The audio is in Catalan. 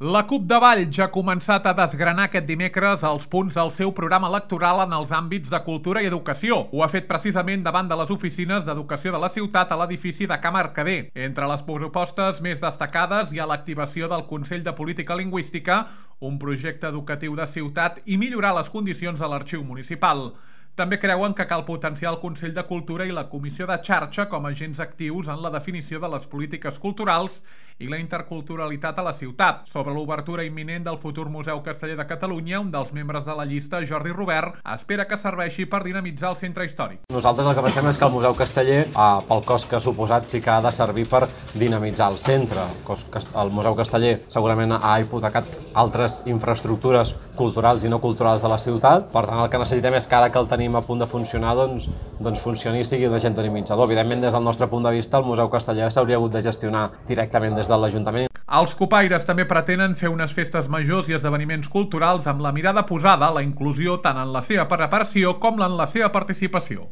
La CUP de Valls ha començat a desgranar aquest dimecres els punts del seu programa electoral en els àmbits de cultura i educació. Ho ha fet precisament davant de les oficines d'educació de la ciutat a l'edifici de Ca Mercader. Entre les propostes més destacades hi ha l'activació del Consell de Política Lingüística, un projecte educatiu de ciutat i millorar les condicions de l'arxiu municipal. També creuen que cal potenciar el Consell de Cultura i la Comissió de Xarxa com a agents actius en la definició de les polítiques culturals i la interculturalitat a la ciutat. Sobre l'obertura imminent del futur Museu Casteller de Catalunya, un dels membres de la llista, Jordi Robert, espera que serveixi per dinamitzar el centre històric. Nosaltres el que pensem és que el Museu Casteller, pel cost que ha suposat, sí que ha de servir per dinamitzar el centre. El Museu Casteller segurament ha hipotecat altres infraestructures culturals i no culturals de la ciutat. Per tant, el que necessitem és que ara que el tenim a punt de funcionar, doncs funcioni i sigui un agent dinamitzador. Evidentment, des del nostre punt de vista, el Museu Casteller s'hauria hagut de gestionar directament des de l'Ajuntament. Els copaires també pretenen fer unes festes majors i esdeveniments culturals amb la mirada posada a la inclusió tant en la seva preparació com en la seva participació.